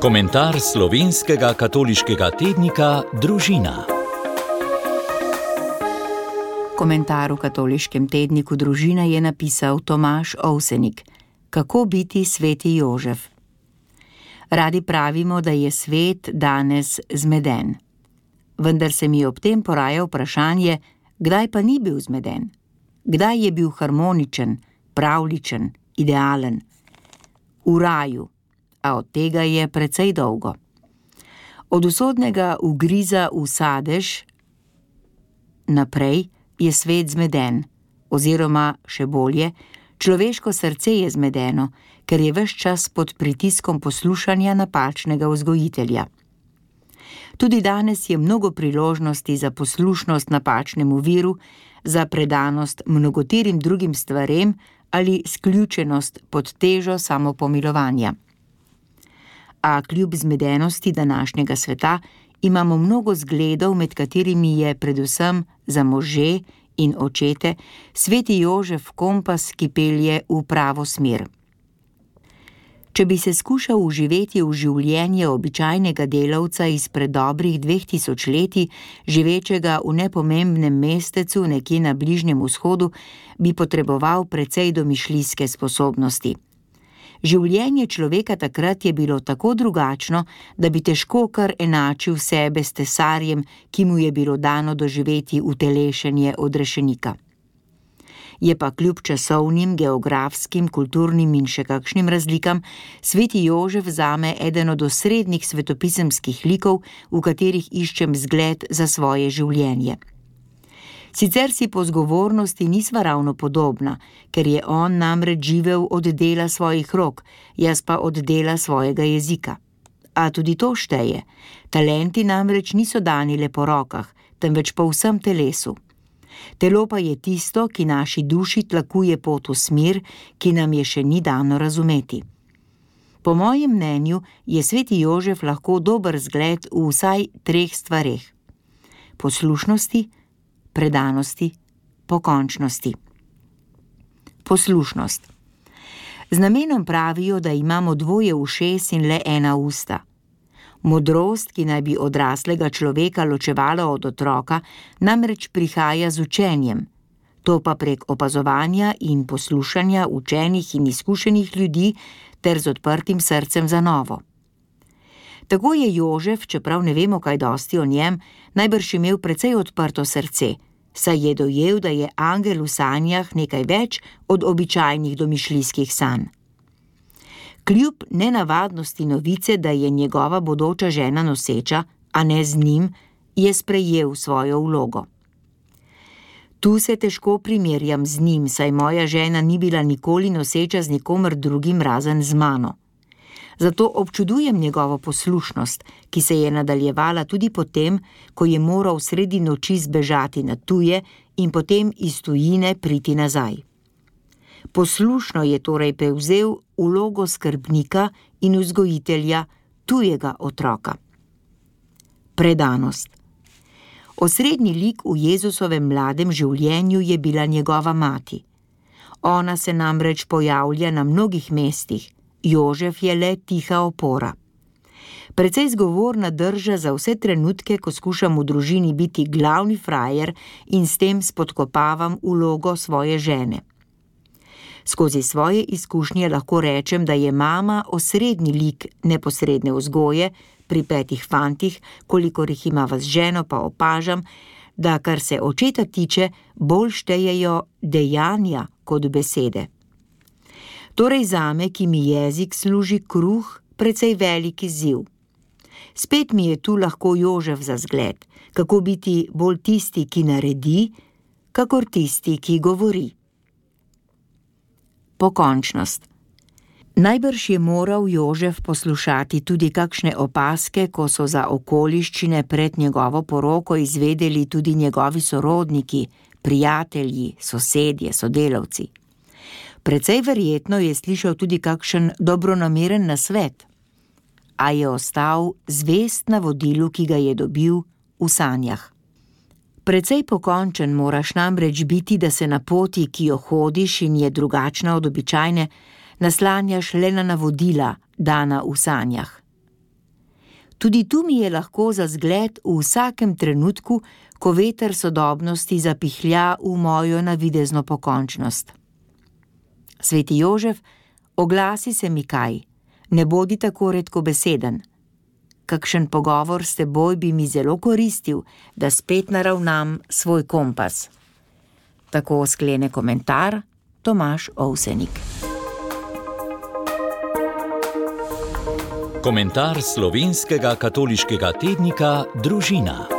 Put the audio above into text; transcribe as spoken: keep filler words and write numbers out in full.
Komentar slovenskega katoliškega tednika Družina. Komentar v katoliškem tedniku Družina je napisal Tomaž Ovsenik. Kako biti sveti Jožef? Radi pravimo, da je svet danes zmeden. Vendar se mi ob tem poraja vprašanje, kdaj pa ni bil zmeden? Kdaj je bil harmoničen, pravličen, idealen? V raju, a od tega je precej dolgo. Od usodnega ugriza v sadež naprej je svet zmeden, oziroma še bolje, človeško srce je zmedeno, ker je ves čas pod pritiskom poslušanja napačnega vzgojitelja. Tudi danes je mnogo priložnosti za poslušnost napačnemu viru, za predanost mnogoterim drugim stvarem ali sključenost pod težo samopomilovanja. A kljub zmedenosti današnjega sveta imamo mnogo zgledov, med katerimi je predvsem za može in očete sveti Jožef kompas, ki pelje v pravo smer. Če bi se skušal vživeti v življenje običajnega delavca izpred dobrih dveh tisočletij, živečega v nepomembnem mestecu nekje na Bližnjem vzhodu, bi potreboval precej domišljijske sposobnosti. Življenje človeka takrat je bilo tako drugačno, da bi težko kar enačil sebe s tesarjem, ki mu je bilo dano doživeti utelešenje odrešenika. Je pa kljub časovnim, geografskim, kulturnim in še kakšnim razlikam sveti Jožef zame eden od osrednjih svetopisemskih likov, v katerih iščem zgled za svoje življenje. Sicer si po zgovornosti nisva ravno podobna, ker je on namreč živel od dela svojih rok, jaz pa od dela svojega jezika. A tudi to šteje. Talenti namreč niso dani le po rokah, temveč po vsem telesu. Telo pa je tisto, ki naši duši tlakuje pot v smer, ki nam je še ni dano razumeti. Po mojem mnenju je sveti Jožef lahko dober zgled v vsaj treh stvareh: poslušnosti, predanosti, pokončnosti. Poslušnost. Z namenom pravijo, da imamo dvoje ušes in le ena usta. Modrost, ki naj bi odraslega človeka ločevala od otroka, namreč prihaja z učenjem. To pa prek opazovanja in poslušanja učenih in izkušenih ljudi ter z odprtim srcem za novo. Tako je Jožef, čeprav ne vemo kaj dosti o njem, najbrž imel precej odprto srce, saj je dojel, da je angel v sanjah nekaj več od običajnih domišljijskih sanj. Kljub nenavadnosti novice, da je njegova bodoča žena noseča, a ne z njim, je sprejel svojo vlogo. Tu se težko primerjam z njim, saj moja žena ni bila nikoli noseča z nikomer drugim razen z mano. Zato občudujem njegovo poslušnost, ki se je nadaljevala tudi potem, ko je moral sredi noči zbežati na tuje in potem iz tujine priti nazaj. Poslušno je torej prevzel vlogo skrbnika in vzgojitelja tujega otroka. Predanost. Osrednji lik v Jezusovem mladem življenju je bila njegova mati. Ona se namreč pojavlja na mnogih mestih, Jožef je le tiha opora. Precej zgovorna drža za vse trenutke, ko skušam v družini biti glavni frajer in s tem spodkopavam vlogo svoje žene. Skozi svoje izkušnje lahko rečem, da je mama osrednji lik neposredne vzgoje, pri petih fantih, kolikor jih imava z ženo, pa opažam, da kar se očeta tiče, bolj štejejo dejanja kot besede. Torej zame, ki mi jezik služi kruh, precej velik izziv. Spet mi je tu lahko Jožef za zgled, kako biti bolj tisti, ki naredi, kakor tisti, ki govori. Pokončnost. Najbrž je moral Jožef poslušati tudi kakšne opazke, ko so za okoliščine pred njegovo poroko izvedeli tudi njegovi sorodniki, prijatelji, sosedje, sodelavci. Precej verjetno je slišal tudi kakšen dobronameren nasvet, a je ostal zvest navodilu, ki ga je dobil v sanjah. Precej pokončen moraš namreč biti, da se na poti, ki jo hodiš in je drugačna od običajne, naslanjaš le na navodila, dana v sanjah. Tudi tu mi je lahko za zgled v vsakem trenutku, ko veter sodobnosti zapihlja v mojo navidezno pokončnost. Sveti Jožef, oglasi se mi kaj, ne bodi tako redkobeseden. Kakšen pogovor s teboj bi mi zelo koristil, da spet naravnam svoj kompas. Tako sklene komentar Tomaž Ovsenik. Komentar slovenskega katoliškega tednika Družina.